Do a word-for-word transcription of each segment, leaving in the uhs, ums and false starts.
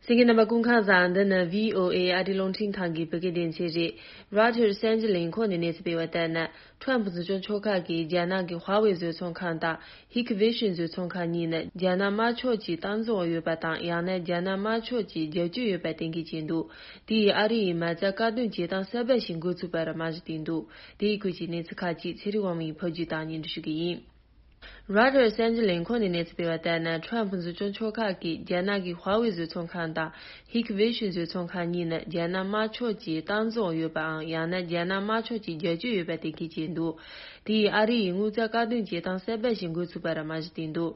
གསན་མཁན་རྣམ་པ་སྐུ་ཁམས་བཟང་། འདི་ནི་བྷི་ཨོ་ཨེ་ཨ་རིའི་རླུང་འཕྲིན་ཁང་གི་བོད་སྐད་སྡེ་ཚན་རེད། རོའི་ཊར་གསར་འགྱུར་ལས་ཁང་ནས་གནས་ཚུལ་སྤེལ་བ་ལྟར་ན། ཁྲོམ་འཛིན་སྐྱོང་ཕྱོགས་ཁག་གིས་རྒྱ་ནག་གི་ཧྭ་ཝེ་བཟོ་ཚོང་ཁང་དང་ཧིག་ཝེ་ཤིན་བཟོ་ཚོང་ཁང་གཉིས་ནི་རྒྱ་ནག་དམར་ཕྱོགས་ཀྱི་སྟངས་འཛིན་འོག་ཡོད་པ་དང་། ཡང་ན་རྒྱ་ནག་དམར་ཕྱོགས་ཀྱི་རྒྱབ་སྐྱོར་ཡོད་པ་གཏན་འཁེལ་བྱས་འདུག་དེ་ཡིས་ཨ་རི་ཡིས་མ་རྩ་བཀག་སྡོམ་བྱེད་སྟངས་གསར་པ་ཞིག་འགོ་ཚུགས་པར་རྨང་གཞི་བཏིང་འདུག་དེའི་སྐོར་གྱི་གནས་ཚུལ་ཁག་ཅིག་ཚེ་རིང་དབང་མོའི་ཕབ་སྒྱུར་དང་སྙན་སྒྲོན་ཞུ་གི་ཡིན། རོའི་ཊར་གསར་འགྱུར་ལས་ཁང་ནས་གནས་ཚུལ་སྤེལ་བ་ལྟར་ན། ཁྲོམ་འཛིན་སྐྱོང་ཕྱོགས་ཁག་གིས་རྒྱ་ནག་གི་ཧྭ་ཝེ་བཟོ་ཚོང་ཁང་དང་ཧིག་ཝེ་ཤིན་བཟོ་ཚོང་ཁང་གཉིས་ནི་རྒྱ་ནག་དམར་ཕྱོགས་ཀྱི་སྟངས་འཛིན་འོག་ཡོད་པའམ། ཡང་ན་རྒྱ་ནག་དམར་ཕྱོགས་ཀྱི་རྒྱབ་སྐྱོར་ཡོད་པ་གཏན་འཁེལ་བྱས་འདུག་དེ་ཡིས་ཨ་རི་ཡིས་དངུལ་རྩ་བཀག་སྡོམ་བྱེད་སྟངས་གསར་པ་ཞིག་འགོ་ཚུགས་པར་རྨང་གཞི་བཏིང་འདུག་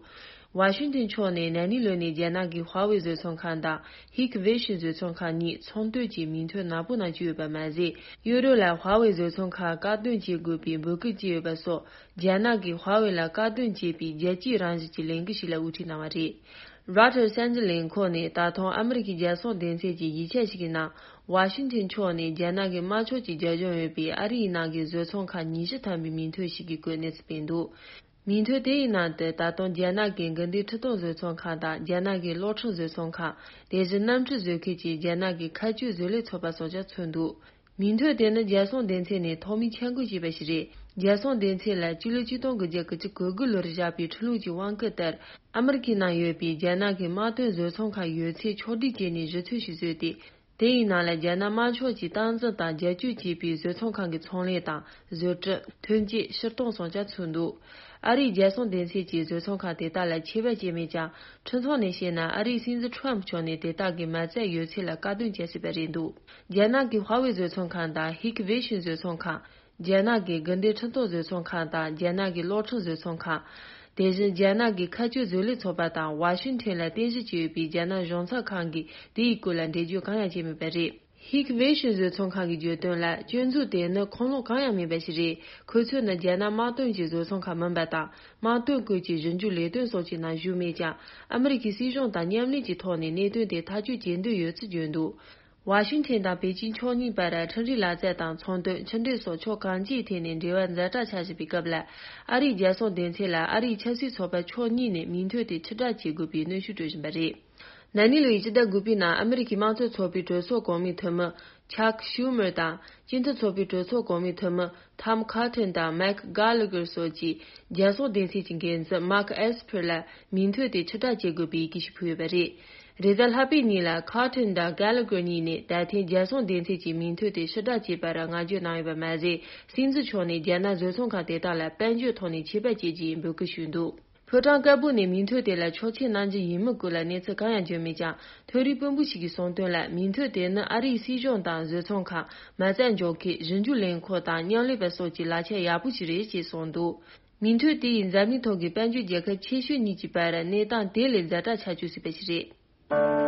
ཝ་ཤིང་ཏོན་ཕྱོགས་ནས་ན་ནིང་ལོ་ནས་རྒྱ་ནག་གི་ཧྭ་ཝེ་བཟོ་ཚོང་ཁང་དང་ཧིག་ཝེ་ཤིན་བཟོ་ཚོང་ཁང་གཉིས་ཚོང་དོན་གྱི་མིང་ཐོ་ནག་པོ་ནང་བཅུག་ཡོད་པ་མ་ཟད། ཡུ་རོབ་ལ་ཧྭ་ཝེ་བཟོ་ཚོང་ཁང་བཀག་སྡོམ་བྱེད་དགོས་པའི་འབོད་སྐུལ་བྱས་ཡོད་པ་སོགས། རྒྱ་ནག་གིས་ཧྭ་ཝེ་ལ་བཀག་སྡོམ་བྱས་པའི་རྒྱལ་སྤྱིའི་རང་བཞིན་གྱི་ལས་འགུལ་ཞིག་ལ་དབུ་ཁྲིད་གནང་བ་རེད། རོའི་ཊར་གསར་འགྱུར་ལས་ཁང་ནས་ད་ཐེངས་ཨ་མི་རི་ཀའི་རྒྱལ་སྲུང་སྡེ་ཚན་གྱི་ཡིག་ཆ་ཞིག་གི་ནང་། ཝ་ཤིང་ཏོན་ཕྱོགས་ནས་རྒྱ་ནག་གི་དམར་ཕྱོགས་ཀྱི་རྒྱབ་ལྗོངས་ཡོད་པའི་ཨ་རིའི་ནང་གི་བཟོ་ཚོང་ཁང་ཉི་ཤུ་ཐམ་པའི་མིང་ཐོ་ཞིག་གི་སྐོར་གནས་ཚུལ་སྤེལ་འདུག་མིང་ཐོ་དེའི་ནང་དུ་ད་དུང་རྒྱ་ནག་གི་དགུན་སྡེ་ཁྲི་སྟོང་བཟོ་ཚོང་ཁང་དང་། རྒྱ་ནག་གི་གློག་འཕྲུལ་བཟོ་ཚོང་ཁང་། དེ་བཞིན་གནམ་གྲུ་བཟོ་མཁན་གྱི་རྒྱ་ནག་གི་མཁས་སྤྱོད་བཟོ་ལས་ཚོགས་པ་སོགས་ཀྱང་ཚུད་འདུག་མིང་ཐོ་དེ་ནི་རྒྱལ་སྲུང་སྡེ་ཚན་ནས་ཐོག་མའི་འཆར་འགོད་བྱས་པ་ཞིག་རེད། རྒྱལ་སྲུང་སྡེ་ཚན་ལ་སྤྱི་ལོ་ཆིག་སྟོང་དགུ་བརྒྱ་དགུ་བཅུ་གོ་དགུ་ལོར་བཞག་པའི་ཁྲིམས་ལུགས་ཀྱི་དབང་བཀོད་ལྟར། ཨ་མི་རི་ཀའི་ནང་ཡོད་པའི་རྒྱ་ནག་གི་དམག་དོན་བཟོ་ཚོང་ཁང་ཡོད་ཚད་ཕྱོགས་སྒྲིག་བྱས་ནས་གཞི་རྩ་ཞིག་བཟོས་ཏེ། དེ་ཡི་ནང་ལ་རྒྱ་ནག་དམར་ཕྱོགས་ཀྱིས་སྟངས་འཛིན་དང་རྒྱབ་སྐྱོར་བྱས་པའི་བཟོ་ཚོང་ཁང་གི་ཚོང་ལས་དང་། བཟོ་སྐྲུན། ཐོན་སྐྱེད། ཕྱིར་གཏོང་སོགས་ཀྱང་ཚུད་འདུག་ཨ་རིའི་རྒྱལ་སྲུང་སྡེ་ཚན་གྱིས་བཟོ་ཚོང་ཁང་དེ་དག་ལ་ཆད་པ་བཅད་མེད་ཀྱང་། ཁྲིམས་ཐོག་ནས་བཤད་ན། ཨ་རིའི་སྲིད་འཛིན་ཁྲོམ་མཆོག་ནས་དེ་དག་གི་མ་རྩ་ཡོད་ཚད་ལ་བཀག་སྡོམ་བྱས་ཟིན་པ་རེད་འདུག་རྒྱ་ནག་གི་ཧྭ་ཝེ་བཟོ་ཚོང་ཁང་དང་ཧིག་ཝེ་ཤིན་བཟོ་ཚོང་ཁང་། རྒྱ་ནག་གི་དགུན་སྡེ་ཁྲིམས་ཐོག་བཟོ་ཚོང་ཁང་དང་། རྒྱ་ནག་གི་གློག་འཕྲུལ་བཟོ་ཚོང་ཁང་། དེ་བཞིན་རྒྱ་ནག་གི་མཁས་སྤྱོད་བཟོ་ལས་ཚོགས་པ་དང་། ཝ་ཤིང་ཐོན་ལ་རྟེན་གཞི་བྱས་ཡོད་པའི་རྒྱ་ནག་གཞུང་ཚབ་ཁང་གིས་དེའི་སྐོར་ལ་འགྲེལ་བརྗོད་གང་ཡང་བྱས་མེད་པ་རེད། ཧིག་ཝེ་ཤིན་བཟོ་ཚོང་ཁང་གིས་བརྗོད་དོན་ལ། སྐྱོན་འཛུགས་དེ་ནི་ཁུངས་ལུང་གང་ཡང་མེད་པ་ཞིག་རེད། ཁོ་ཚོ་ནི་རྒྱ་ནག་དམག་དོན་གྱི་བཟོ་ཚོང་ཁང་མིན་པ་དང་། དམག་དོན་སྐོར་གྱི་ཞིབ་འཇུག་ལས་དོན་སོགས་ཀྱི་ནང་ཞུགས་མེད་ཀྱང་། ཨ་མི་རི་ཀའི་སྲིད་གཞུང་དང་མཉམ་ལས་ཀྱི་ཐོག་ནས་གནད་དོན་དེ་ཐག་གཅོད་བྱེད་འདོད་ཡོད་ཚུལ་བརྗོད་འདུག་ཝ་ཤིང་ཐན་དང་པེ་ཅིང་ཕྱོགས་གཉིས་བར་ཁྲིམས་རའི་ལག་རྩལ་དང་ཚོང་དོན། ཕྱི་འབྲེལ་སོགས་ཕྱོགས་གང་ཅིའི་ཐད་ནས་འབྲེལ་བ་ཛ་དྲག་ཆགས་བཞིན་པའི་སྐབས་ལ། ཨ་རིའི་རྒྱལ་སྲུང་སྡེ་ཚན་ལ་ཨ་རིའི་ཆབ་སྲིད་ཚོགས་པ་ཕྱོགས་གཉིས་ནས་མིང་ཐོ་དེ་ཕྱིར་བསྒྲགས་བྱེད་དགོས་པའི་གནོན་ཤུགས་སྤྲོད་བཞིན་པ་རེད། ན་ནིང་ལོའི་ཕྱི་ཟླ་དགུ་པའི་ནང་ཨ་མི་རི་ཀའི་དམངས་གཙོ་ཚོགས་པའི་གྲོས་ཚོགས་གོང་མའི་འཐུས་མི་ཆག་ཤུ་མར་དང་། སྤྱི་མཐུན་ཚོགས་པའི་གྲོས་ཚོགས་གོང་མའི་འཐུས་མི་ཐམ་ཁ་ཐོན་དང་མེག་གྷ་ལ་གྷར་སོགས་ཀྱིས་རྒྱལ་སྲུང་སྡེ་ཚན་གྱི་འགན་འཛིན་མཱག་ཨེས་ཕར་ལ་མིང་ཐོ་དེ་ཕྱིར་བསྒྲགས་བྱེད་དགོས་པའི་ཡི་གེ་ཞིག་ཕུལ་ཡོད་པ་རེད། རེས་གཟའ་ལྷག་པའི་ཉིན་ལ་ཁ་ཐོན་དང་གྷ་ལ་གྷར་གཉིས་ནས་ད་ཐེངས་རྒྱལ་སྲུང་སྡེ་ཚན་གྱི་མིང་ཐོ་དེ་ཕྱིར་བསྒྲགས་བྱས་པར་བསྔགས་བརྗོད་གནང་ཡོད་པ་མ་ཟད། སྲིད་འཛིན་མཆོག་ནས་རྒྱ་ནག་བཟོ་ཚོང་ཁང་དེ་དག་ལ་དཔལ་འབྱོར་ཐོག་ནས་ཆད་པ་བཅད་རྒྱུའི་འབོད་སྐུལ་ཞུས་འདུག་ཕོ་བྲང་དཀར་པོ་ནས་མིང་ཐོ་དེ་ལ་ཆོག་མཆན་གནང་རྒྱུ་ཡིན་མིན་སྐོར་ལ་གནས་ཚུལ་གང་ཡང་བརྗོད་མེད་ཀྱང་། ཐོ་རེངས་དཔོན་པོ་ཞིག་གིས་གསུངས་དོན་ལ། མིང་ཐོ་དེ་ནི་ཨ་རིའི་སྲིད་གཞུང་དང་བཟོ་ཚོང་ཁང་། མ་རྩ་འཇོག་མཁན། ཞིབ་འཇུག་ལས་ཁུངས་དང་མཉམ་ལས་པ་སོགས་ཀྱི་ལག་ཆ་ཡག་པོ་ཞིག་རེད་ཅེས་གསུངས་འདུག་མིང་ཐོ་དེ་ཡིས་འཛམ་གླིང་ཐོག་གི་དཔལ་འབྱོར་རྒྱལ་ཁབ་ཆེ་ཤོས་གཉིས་ཀྱི་བར་གནས་སྟངས་དེ་ལས་ཛ་དྲག་ཆགས་བཅུག་སྲིད་པ་ཞིག་རེད།